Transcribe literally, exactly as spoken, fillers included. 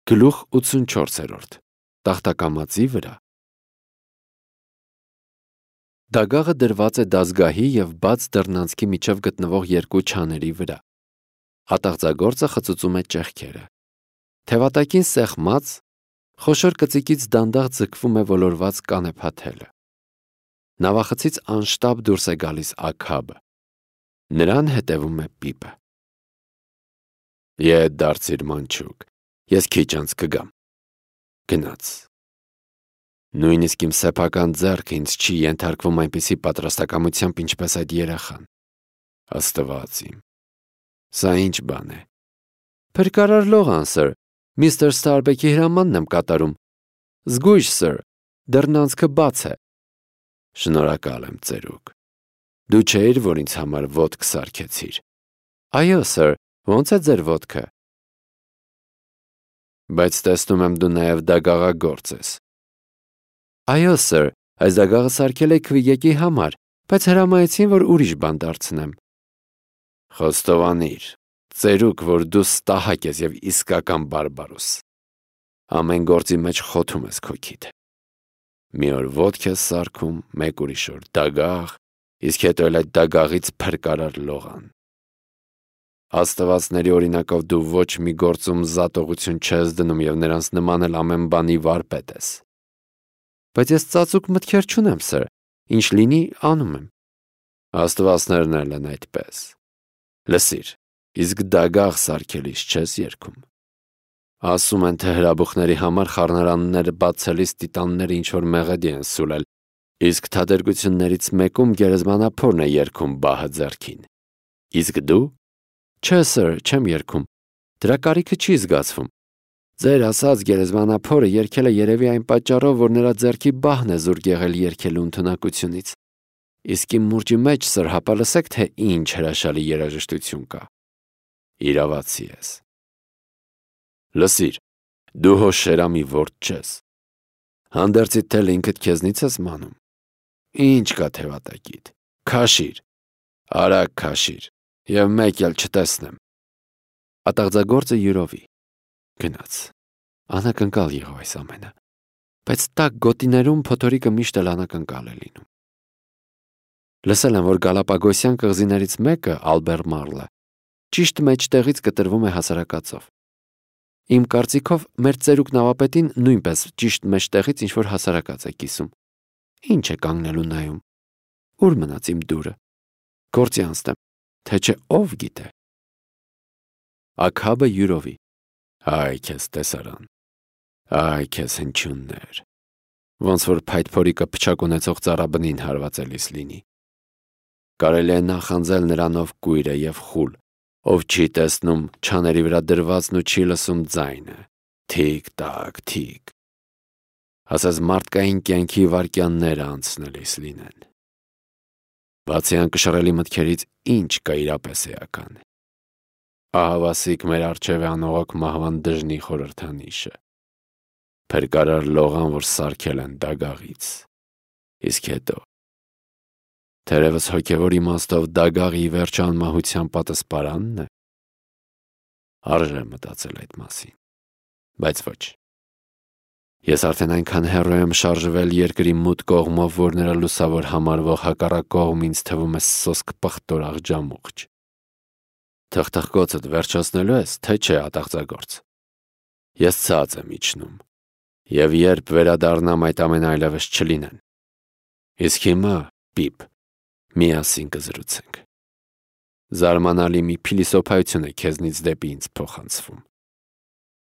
Գլուխ ութսունչորսերորդ Տախտակամածի վրա Դագաղը դրված է դազգահի և բաց դռնանցքի միջև գտնվող երկու չաների վրա։ Ատաղձագործը խծուծում է ճեղքերը։ Թևատակին սեղմած, խոշոր կծիկից դանդաղ ձգվում է ոլորված կանեփաթելը։ Նավախցից անշտապ դուրս է գալիս Աքաբը։ Նրան հետևում է Պիպը։ Ետ դարձիր մանչուկ, ես քիչ անց կգամ։ Գնաց։ Նույնիսկ իմ սեփական ձեռքը ինձ չի ենթարկվում այնպիսի պատրաստակամությամբ, ինչպես այդ երեխան։ Աստված իմ, սա ինչ բան է։ Փրկարար լողան, սըր, միստր Ստարբեքի հրամանն եմ կատարում։ Զգույշ, սըր, դռնանցքը բաց է։ Շնորհակալ եմ, ծերուկ։ Դու չէիր, որ ինձ համար ոտք սարքեցիր։ Այո, սըր, ո՞նց է ձեր ոտքը։ Բայց տեսնում եմ դու նաև դագաղագործ ես։ Այո, սըր, այս դագաղը սարքել էի Քվիեկի համար, բայց հրամայեցին, որ ուրիշ բան դարձնեմ։ Խոստովանիր, ծերուկ, որ դու ստահակ ես և իսկական բարբարոս։ Ամեն գործի մեջ խոթում ես քո քիթը։ Մի օր ոտք ես սարքում, մեկ ուրիշ օր դագաղ, իսկ հետո էլ այդ դագաղից փրկարար լողան։ Աստվածների օրինակով դու ոչ մի գործում զատողություն չես դնում և նրանց նման էլ ամեն բանի վարպետ ես։ Բայց ես ծածուկ մտքեր չունեմ, սըր, ինչ լինի, անում եմ։ Աստվածներն էլ են այդպես։ Լսիր, իսկ դագաղ սարքելիս չես երգում։ Ասում են, թե հրաբուխների համար խառնարանները բացելիս տիտանները ինչ-որ մեղեդի են սուլել, իսկ թատերգություններից մեկում գերեզմանափորն է երգում բահը ձեռքին։ Իսկ դու։ Չէ, սըր, չեմ երգում։ Դրա կարիքը չի զգացվում։ Ձեր ասած գերեզմանափորը երգել է երևի այն պատճառով, որ նրա ձեռքի բահն է զուրկ եղել երգելու ընդունակությունից։ Իսկ իմ մուրճի մեջ, սըր, հապա լսեք, թե ինչ հրաշալի երաժշտություն կա։ Իրավացի ես։ Լսիր, դու հո շերամի ворդ չես։ Հանդերձիդ թել ինքդ քեզնից ես մանում։ Ինչ կա թևատակիդ։ Քաշիր, արագ քաշիր, և մեկ էլ չտեսնեմ։ Ատաղձագործը յուրովի գնաց։ Անակնկալ եղավ այս ամենը, բայց տաք գոտիներում փոթորիկը միշտ էլ անակնկալ է լինում։ Լսել եմ, որ Գալապագոսյան կղզիներից մեկը, Ալբերմարլը, ճիշտ մեջտեղից կտրվում է հասարակածով։ Իմ կարծիքով, մեր ծերուկ նավապետին նույնպես ճիշտ մեջտեղից ինչ-որ հասարակած է կիսում։ Ինչ է կանգնելու նայում։ Ուր մնաց իմ դուրը։ Գործի անցնեմ, թե չէ ով գիտե։ Աքաբը յուրովի։ Այ քեզ տեսարան։ Այ քեզ հնչյուններ։ Ոնց որ փայտփորիկը փչակ ունեցող ծառաբնին հարվածելիս լինի։ Կարելի է նախանձել նրանով կույր է և խուլ, ով չի տեսնում չաների վրա դրվածն ու չի լսում ձայնը։ Թիկ-տակ, թիկ։ Ասես մարդկային կյանքի վայրկյանները անցնելիս լինեն։ Բացի անկշռելի մտքերից ինչ կա իրապես էական։ Ահավասիկ մեր առջև է անողոք մահվան դժնի խորհրդանիշը։ Փրկարար լողան, որ սարքել են դագաղից։ Իսկ հետո թերևս հոգևոր իմաստով դագաղի վերջը անմահության պատասպարանն է։ Արժե մտածել այդ մասին, բայց ոչ։ Ես արդեն այնքան հեռու եմ շարժվել երկրի մութ կողմով, որ նրա լուսավոր համարվող հակառակ կողմ ինձ թվում է սոսկ պղտոր աղջամուղջ։ Թխթխկոցդ վերջացնելու ես, թե չէ, ատաղձագործ։ Ես ցած եմ իջնում, և երբ վերադառնամ, այդ ամենը այլևս չլինեն։ Իսկ հիմա, Պիպ, միասին կզրուցենք։ Զարմանալի մի փիլիսոփայություն է քեզնից դեպի ինձ փոխանցվում։